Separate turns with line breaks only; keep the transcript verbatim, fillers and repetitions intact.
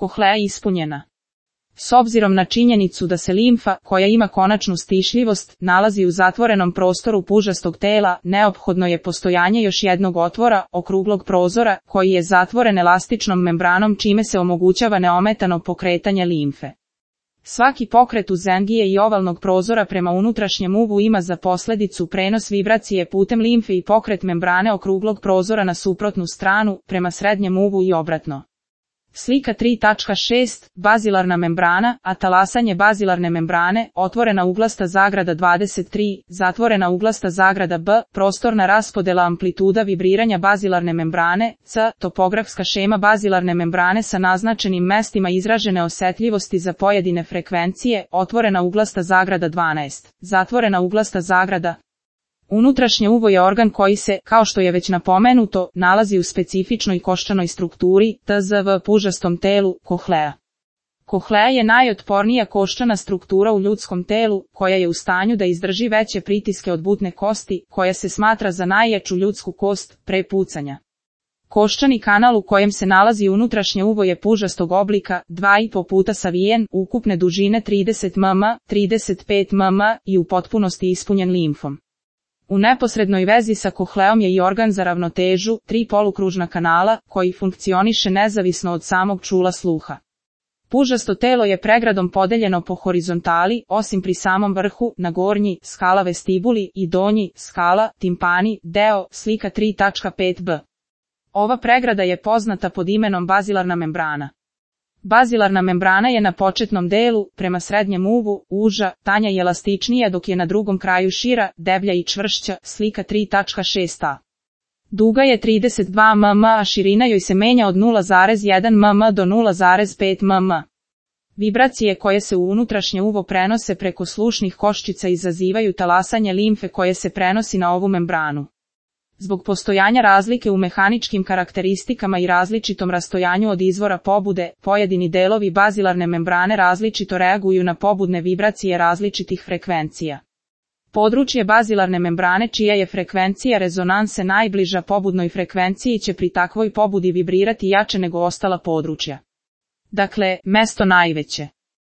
kohlea ispunjena. S obzirom na činjenicu da se limfa, koja ima konačnu stišljivost, nalazi u zatvorenom prostoru pužastog tela, neophodno je postojanje još jednog otvora, okruglog prozora, koji je zatvoren elastičnom membranom čime se omogućava neometano pokretanje limfe. Svaki pokret uzengije i ovalnog prozora prema unutrašnjem uvu ima za posljedicu prenos vibracije putem limfe i pokret membrane okruglog prozora na suprotnu stranu, prema srednjem uvu i obratno. Slika tri tačka šest. Bazilarna membrana, a talasanje bazilarne membrane, otvorena uglasta zagrada dvadeset tri, zatvorena uglasta zagrada B, prostorna raspodela amplituda vibriranja bazilarne membrane, C, topografska šema bazilarne membrane sa naznačenim mestima izražene osetljivosti za pojedine frekvencije, otvorena uglasta zagrada dvanaest, zatvorena uglasta zagrada. Unutrašnje uvo je organ koji se, kao što je već napomenuto, nalazi u specifičnoj koščanoj strukturi, T Z V pužastom telu, kohlea. Kohlea je najotpornija koščana struktura u ljudskom telu, koja je u stanju da izdrži veće pritiske od butne kosti, koja se smatra za najjaču ljudsku kost, pre pucanja. Koščani kanal u kojem se nalazi unutrašnje uvo je pužastog oblika, dva i po puta savijen, ukupne dužine trideset milimetara, trideset pet milimetara i u potpunosti ispunjen limfom. U neposrednoj vezi sa kohleom je i organ za ravnotežu, tri polukružna kanala, koji funkcioniše nezavisno od samog čula sluha. Pužasto telo je pregradom podeljeno po horizontali, osim pri samom vrhu, na gornji, skala vestibuli i donji, skala, timpani, deo, slika tri tačka pet b. Ova pregrada je poznata pod imenom bazilarna membrana. Bazilarna membrana je na početnom delu, prema srednjem uvu, uža, tanja i elastičnija dok je na drugom kraju šira, deblja i čvršća, slika tri tačka šest a. Duga je trideset dva milimetra, a širina joj se menja od nula zarez jedan milimetar do nula zarez pet milimetara. Vibracije koje se u unutrašnje uvo prenose preko slušnih koščica izazivaju talasanje limfe koje se prenosi na ovu membranu. Zbog postojanja razlike u mehaničkim karakteristikama i različitom rastojanju od izvora pobude, pojedini delovi bazilarne membrane različito reaguju na pobudne vibracije različitih frekvencija. Područje bazilarne membrane čija je frekvencija rezonanse najbliža pobudnoj frekvenciji će pri takvoj pobudi vibrirati jače nego ostala područja. Dakle, mesto najveće.